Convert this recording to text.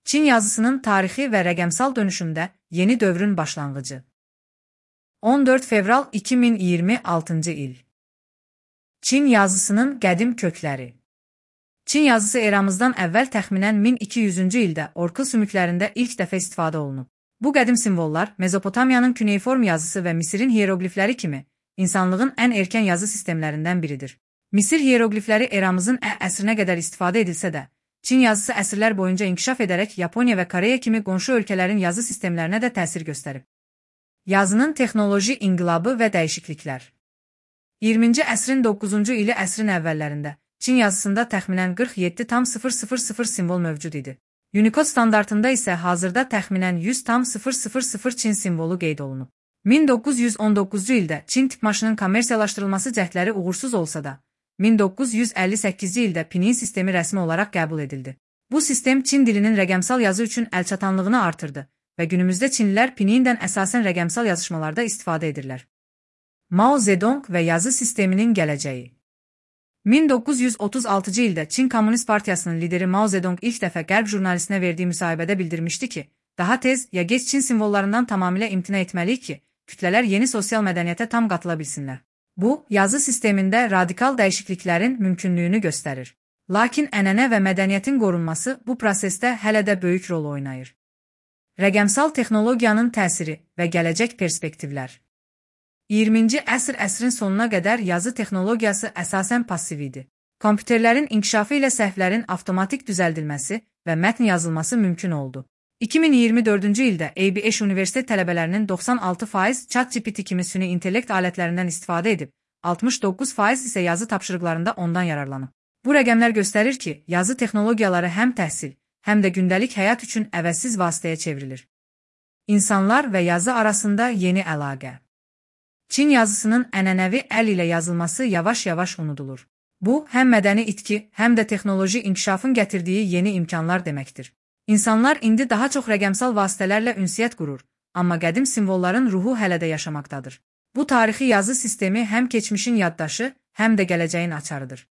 Çin yazısının tarixi və rəqəmsal dönüşümdə yeni dövrün başlanğıcı. 14 fevral 2026 il. Çin yazısının qədim kökləri. Çin yazısı eramızdan əvvəl təxminən 1200-cü ildə orkul sümüklərində ilk dəfə istifadə olunub. Bu qədim simvollar Mezopotamiyanın küneyform yazısı və Misirin hieroqlifləri kimi insanlığın ən erkən yazı sistemlərindən biridir. Misir hieroqlifləri eramızın əsrinə qədər istifadə edilsə də, Çin yazısı əsrlər boyunca inkişaf edərək Yaponiya və Koreya kimi qonşu ölkələrin yazı sistemlərinə də təsir göstərib. Yazının texnoloji inqilabı və dəyişikliklər. 20-ci əsrin 9-cu ili əsrin əvvəllərində Çin yazısında təxminən 47,000 simvol mövcud idi. Unicode standartında isə hazırda təxminən 100,000 Çin simvolu qeyd olunub. 1919-cu ildə Çin tipmaşının kommersiyalaşdırılması cəhdləri uğursuz olsa da, 1958-ci ildə Pinyin sistemi rəsmi olaraq qəbul edildi. Bu sistem Çin dilinin rəqəmsal yazı üçün əlçatanlığını artırdı və günümüzdə Çinlilər Pinyindən əsasən rəqəmsal yazışmalarda istifadə edirlər. Mao Zedong və yazı sisteminin gələcəyi. 1936-cı ildə Çin Komünist Partiyasının lideri Mao Zedong ilk dəfə Qərb jurnalistinə verdiyi müsahibədə bildirmişdi ki, daha tez ya gec Çin simvollarından tamamilə imtina etməliyik ki, kütlələr yeni sosial mədəniyyətə tam qatıla bilsinlər. Bu, yazı sistemində radikal dəyişikliklərin mümkünlüyünü göstərir. Lakin ənənə və mədəniyyətin qorunması bu prosesdə hələ də böyük rol oynayır. Rəqəmsal texnologiyanın təsiri və gələcək perspektivlər. 20-ci əsrin sonuna qədər yazı texnologiyası əsasən passiv idi. Kompüterlərin inkişafı ilə səhvlərin avtomatik düzəldilməsi və mətn yazılması mümkün oldu. 2024-cü ildə ABH universitet tələbələrinin 96% ChatGPT kimi süni intellekt alətlərindən istifadə edib, 69% isə yazı tapşırıqlarında ondan yararlanıb. Bu rəqəmlər göstərir ki, yazı texnologiyaları həm təhsil, həm də gündəlik həyat üçün əvəzsiz vasitəyə çevrilir. İnsanlar və yazı arasında yeni əlaqə. Çin yazısının ənənəvi əl ilə yazılması yavaş-yavaş unudulur. Bu, həm mədəni itki, həm də texnoloji inkişafın gətirdiyi yeni imkanlar deməkdir. İnsanlar indi daha çox rəqəmsal vasitələrlə ünsiyyət qurur, amma qədim simvolların ruhu hələ də yaşamaqdadır. Bu tarixi yazı sistemi həm keçmişin yaddaşı, həm də gələcəyin açarıdır.